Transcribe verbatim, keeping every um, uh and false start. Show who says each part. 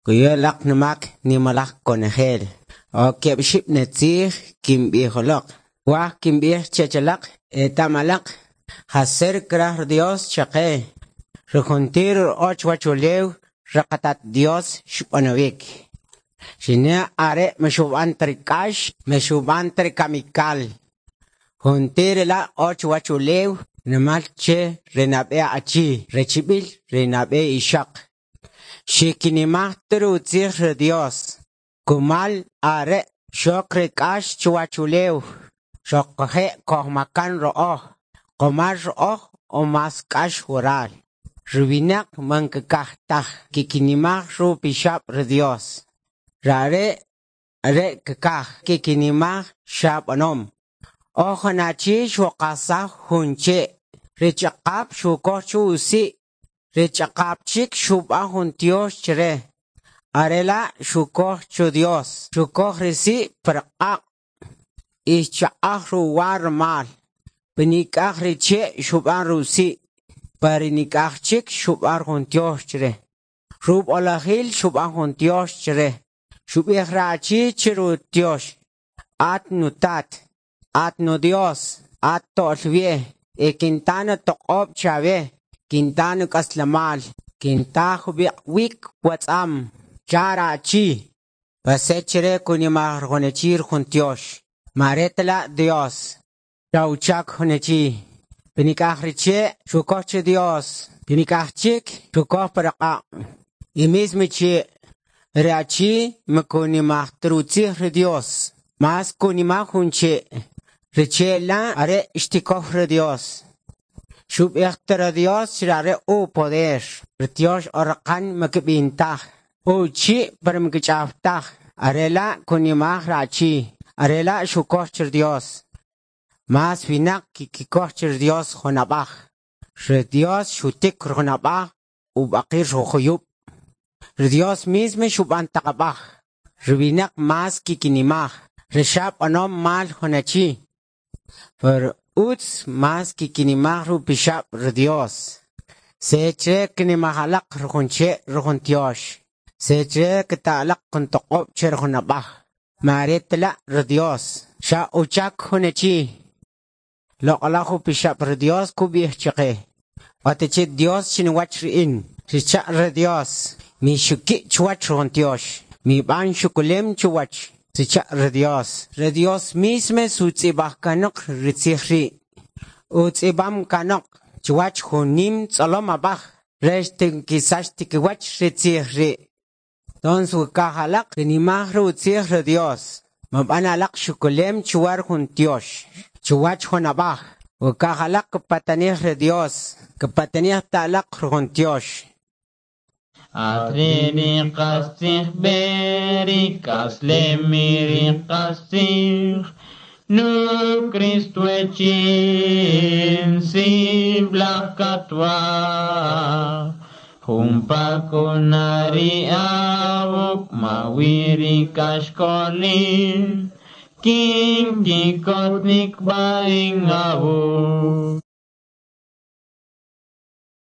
Speaker 1: Kuyolaq numak nimalaj konejel. O keb'xib netzij kinb'ijoloq. Waj kinb'ij chechalaq etamalaq. Jaser kraj Dios chaqe. Rujuntir och wachulew raqatat Dios xb'anowik. Xine are mexub'an trikax, mexub'an trikamikal. Juntir la och wachulew namal che renab'e achi, rechibil renab'e ixaq. Xikinimaj trutzij re Dios. Kumal are xok rikax chuwachulew. Xoqje kojmakan ro'oj. Qomar ro'oj o mas k'ax waral. Ruwinaq man kkaj taj kikinimaj ru pixab' re Dios. Rare are kkaj kikinimaj xab'anom. Ojonachi xuqasaj jun che'. Richaq'ab' xukoj chu usi'. Richaq'ab' chik xub'an jun tyox chre. Are la' xukoj chu Dios. Xukoj risi' par q'aq'. Ixchaq'aj ruwa rmal. Pinik'aj riche' xub'an rusi'. Parinik'aj chik xub'an jun tyox chre. Rub'olajil xub'an jun tyox chre. Xub'ij rachi chiru tyox. At nutat, at nu Dios, at to'lwie, e kintana toq'ob' chawe, kintana k'aslamal, kinta jub'iq' wik watz'am, charachi. Pasechere kunimaj rjonechir jun tyox. Maretla Dios. Chauchak jonechi. Pinik'aj riche' xukoj che Dios. Pinik'aj chik xukoj paraqa'. Y mismo che rachi makunimaj trutzij re Dios. Mas kunimaj jun che. Riche la are ixtikoj re Dios. Xub'ij tra Dios are u poder. Dios orqan makib'intaj. Uchi' par makich'awtaj. Are la kunimaj rachi. Are la xukoj che Dios. Mas winaq kikoj che Dios junab'aj. Re Dios xutik junab'aj ub'aqir rujuyub'. Re Dios mismo xub'an taqab'aj. Re winaq mas kikinimaj. Re xab' anom mal junachi. Per utz mas kikinimaj rupixab' re Dios. Seche kinimajalaq rujunche rujun tyox. Seche kita'laq kuntoq'ob' che rujunab'aj. Maretla re Dios. Xa uchak junachi. Loq'alaj upixab' re Dios kub'ij chaqe. Watichi Dios chinwach ri'in. Richa' re Dios. Mi xuki' chuwach rujun tyox. Mi b'an xukulem chuwach. Sicha' re Dios. Re Dios misme sutz'ib'aj kanoq ritzij ri'. Utz'ib'am kanoq chuwach junim tz'olom ab'aj. Rex tinkisax tikiwach ritzij ri'. Tons wikajalaq rinimaj rutzij re Dios. Mab'an alaq xukulem chuwar jun tyox. Chuwach jun ab'aj. Wikajalaq kipatanij re Dios. Kipatanij ta'laq rujun tyox.
Speaker 2: Atriri qastzij beri kaslemiri qastzij nu Cristo echin siblaj katwa Jumpa kunari awuk mawiri kashkolil Kin kikotnik baing awuk.